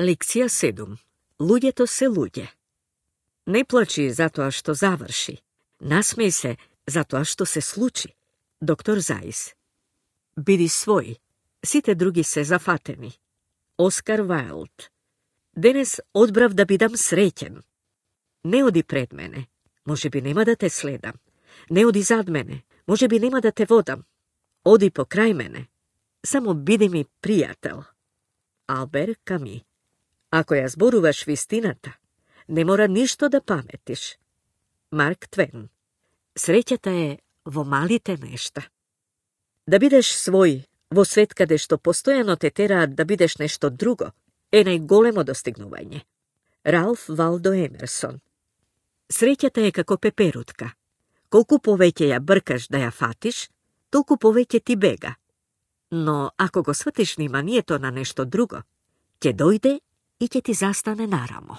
Lekcija 7. Luѓето се луѓе. Не плачи затоа што заврши. Насмеј се затоа што се случи. Доктор Заис. Биди свој. Сите други се зафатени. Оскар Вајлд. Денес одбрав да бидам среќен. Не оди пред мене. Може би нема да те следам. Не оди зад мене. Може би нема да те водам. Оди покрај мене. Само биди ми пријател. Албер Ками. Ако ја зборуваш вистината, не мора ништо да паметиш. Марк Твен. Среќата е во малите нешта. Да бидеш свој во свет каде што постојано те тераат да бидеш нешто друго, е најголемо достигнување. Ралф Валдо Емерсон. Среќата е како пеперутка. Колку повеќе ја бркаш да ја фатиш, толку повеќе ти бега. Но ако го сватиш вниманието на нешто друго, ќе дојде и ќе ти застане нарамо.